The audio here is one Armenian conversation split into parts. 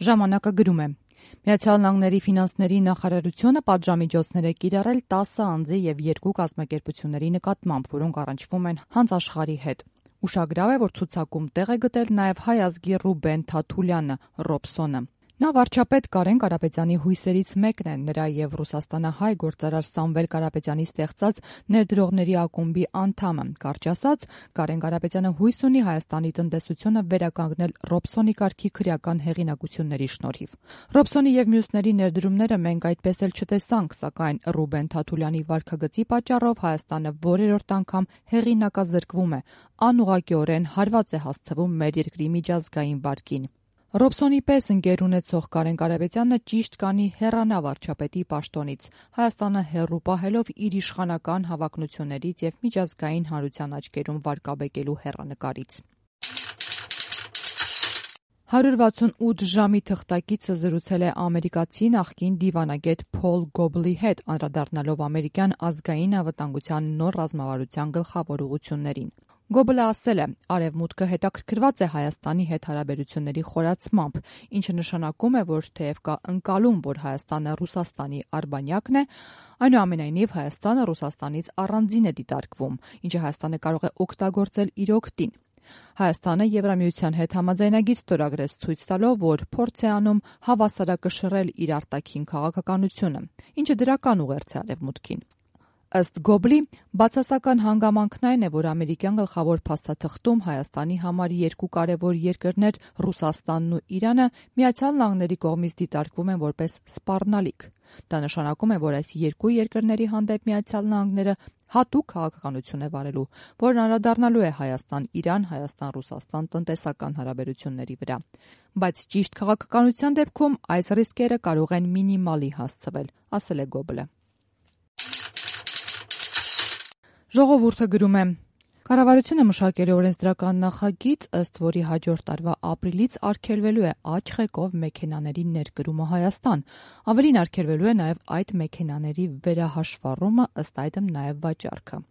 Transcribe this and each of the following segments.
Ժամանակը գրում է. Միացյալ Նահանգների ֆինանսների նախարարությունը պատժամիջոցներ է կիրառել 10 անձի եւ 2 կազմակերպությունների նկատմամբ, որոնք առնչվում են հանձաշխարհի հետ։ Ուշագրավ է, որ ցուցակում տեղ է գտել նաև հայ ազգի Ռուբեն Թաթուլյանը՝ Ռոբսոնը։ Նա վարչապետ Կարեն Կարապետյանի հույսերից մեկն է, նրա եւ ռուսաստանահայ գործարար Սամվել Կարապետյանի ստեղծած ներդրողների ակումբի անդամը։ Կարճ ասած, Կարեն Կարապետյանը հույս ունի Հայաստանի տնտեսությունը վերականգնել Ռոբսոնի կարգի քրեական հեղինակությունների շնորհիվ։ Ռոբսոնի եւ մյուսների ներդրումները մենք այդպես էլ չտեսանք, սակայն Ռուբեն Թաթուլյանի վարքագծի պատճառով Հայաստանը որերորդ անգամ հեղինակազրկվում է, անուղղակիորեն հարված է հասցվում մեր երկրի միջազգային վարկին։ Ռոբսոնի պես ընկեր ունեցող Կարեն Կարապետյանը ճիշտ կանի հեռանա վարչապետի պաշտոնից, Հայաստանը հեռու պահելով իր իշխանական հավակնություններից եւ միջազգային հանրության աչքերում վարկաբեկելու հեռանկարից։ 168 ժամի թղթակիցը զրուցել է ամերիկացի նախկին դիվանագետ Փոլ Գոբլի հետ, անդրադառնալով ամերիկյան ազգային անվտանգության նոր ռազմավարության գլխավոր ուղղություններին։ Գոբլը ասել է, Արևմուտքը հետաքրքրված է Հայաստանի հետ հարաբերությունների խորացմամբ, ինչը նշանակում է, որ թեև կա ընկալում, որ Հայաստանը Ռուսաստանի արբանյակն է, այնուամենայնիվ Հայաստանը Ռուսաստանից առանձին է դիտարկվում, ինչը Հայաստանը կարող է օգտագործել իր օգտին։ Հայաստանը Եվրամիության հետ համաձայնագիր ստորագրեց, ցույց տալով, որ փորձ է անում հավասարակշռել իր արտաքին քաղաքականությունը, ինչը դրական ուղերձ է Արևմուտքին։ Ըստ Գոբլի, բացասական հանգամանքն այն է, որ ամերիկյան գլխավոր փաստաթղթում Հայաստանի համար երկու կարևոր երկրներ Ռուսաստանն ու Իրանը Միացյալ Նահանգների կողմից դիտարկվում են որպես սպառնալիք։ Դա նշանակում է, որ այս երկու երկրների հանդեպ Միացյալ Նահանգները հատուկ քաղաքականություն է վարելու, որն անդրադառնալու է Հայաստան-Իրան, Հայաստան-Ռուսաստան տնտեսական հարաբերությունների վրա։ Բայց ճիշտ քաղաքականության դեպքում այս ռիսկերը կարող են մինիմալի հասցվել, ասել է Գոբլը։ Ժողովուրդը գրում է. Կառավարությունը մշակել է օրենսդրական նախագիծ, ըստ որի հաջորդ տարվա ապրիլից արգելվելու է աճ-ղեկով մեքենաների ներկրումը Հայաստան։ Ավելին արգելվելու է նաև այդ մեքենաների վերահաշվառումը, ըստ այդմ նաև վաճառքը։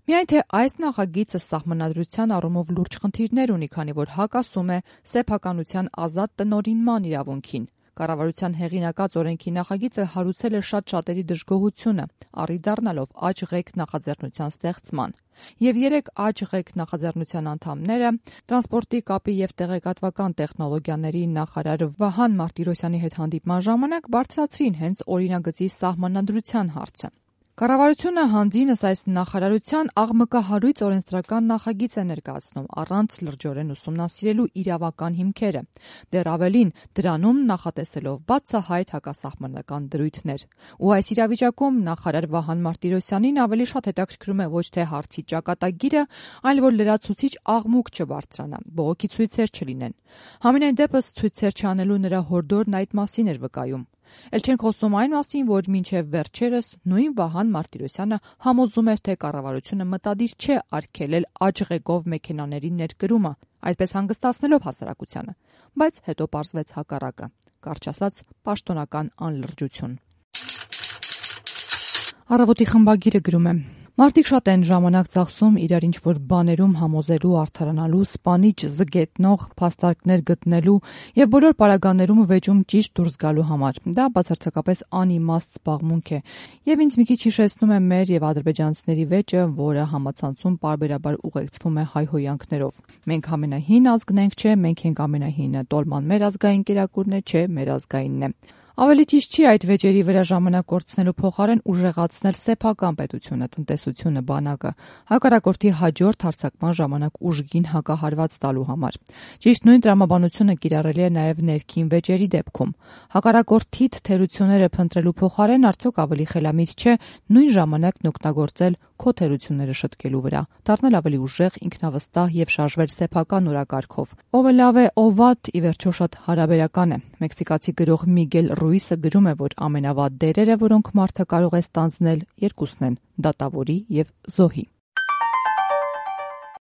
Միայն թե այս նախագիծը սահմանադրության առումով լուրջ խնդիրներ ունի, քանի որ հակասում է սեփականության ազատ տնօրինման իրավունքին։ Կառավարության հեղինակած օրենքի նախագիծը հարուցել է շատ-շատերի դժգոհությունը, առի դառնալով աճ-ղեկ նախաձեռնության ստեղծման։ Եվ 3 աճ-ղեկ նախաձեռնության անդամները տրանսպորտի, կապի եւ տեղեկատվական տեխնոլոգիաների նախարար Վահան Մարտիրոսյանի հետ հանդիպման ժամանակ բարձրացրին հենց օրինագծի սահմանադրության հարցը։ Կառավարությունը հանձինս այս նախարարության աղմկահարույց օրենսդրական նախագիծ է ներկայացնում, առանց լրջորեն ուսումնասիրելու իրավական հիմքերը, դեռ ավելին դրանում նախատեսելով բացահայտ հակասահմանական դրույթներ։ Ու այս իրավիճակում նախարար Վահան Մարտիրոսյանին ավելի շատ հետաքրքրում է ոչ թե հարցի ճակատագիրը, այլ որ լրացուցիչ աղմուկ չբարձրանա, բողոքի ցույցեր չլինեն։ Համենայն դեպս ցույցեր չանելու նրա հորդորն այդ մասին էր վկայում։ Էլ չենք խոսում այն մասին, որ մինչև վերջերս նույն Վահան Մարտիրոսյանը համոզում էր, թե կառավարությունը մտադիր չէ արգելել աճ-ղեկով մեքենաների ներկրումը, այդպես հանգստացնելով հասարակությանը, բայց հետո պարզվեց հակառակը, կարճ ասած պաշտոնական անլրջություն։ Առավոտի խմբագիրը գրում է. Մարդիկ շատ են ժամանակ ծախսում իրար ինչ-որ բաներում համոզելու, արդարանալու, սպանիչ զգետնող փաստարկներ գտնելու եւ բոլոր պարագաներում վեճում ճիշտ դուրս գալու համար։ Դա բացարձակապես անիմաստ զբաղմունք է եւ ինձ մի քիչ հիշեցնում է մեր եւ ադրբեջանցիների վեճը, որը համացանցում պարբերաբար ուղեկցվում է հայհոյանքներով։ Մենք ամենահին ազգն ենք, չէ, մենք ենք ամենահինը, տոլման մեր ազգային կերակուրն է, չէ, մեր ազգայինն է։ Ավելի ճիշտ չի այդ վեճերի վրա ժամանակ կորցնելու փոխարեն ուժեղացնել սեփական պետությունը, տնտեսությունը, բանակը, հակառակորդի հաջորդ հարձակման ժամանակ ուժգին հակահարված տալու համար։ Ճիշտ նույն տրամաբանությունը կիրառելի է նաև ներքին վեճերի դեպքում։ Հակառակորդիդ թերությունները փնտրելու փոխարեն արդյոք ավելի խելամիտ չէ նույն ժամանակն օգտագործել քո թերությունները շտկելու վրա, դառնել ավելի ուժեղ, ինքնավստահ եւ շարժվել սեփական օրակարգով։ Ով է լավ է, ով վատ, ի վերջո շատ հարաբերական է։ Մեքսիկացի գրող Միգել Ռուիսը գրում է, որ ամենավատ դերերը, որոնք մարդը կարող է ստանձնել, երկուսն են՝ դատավորի եւ զոհի։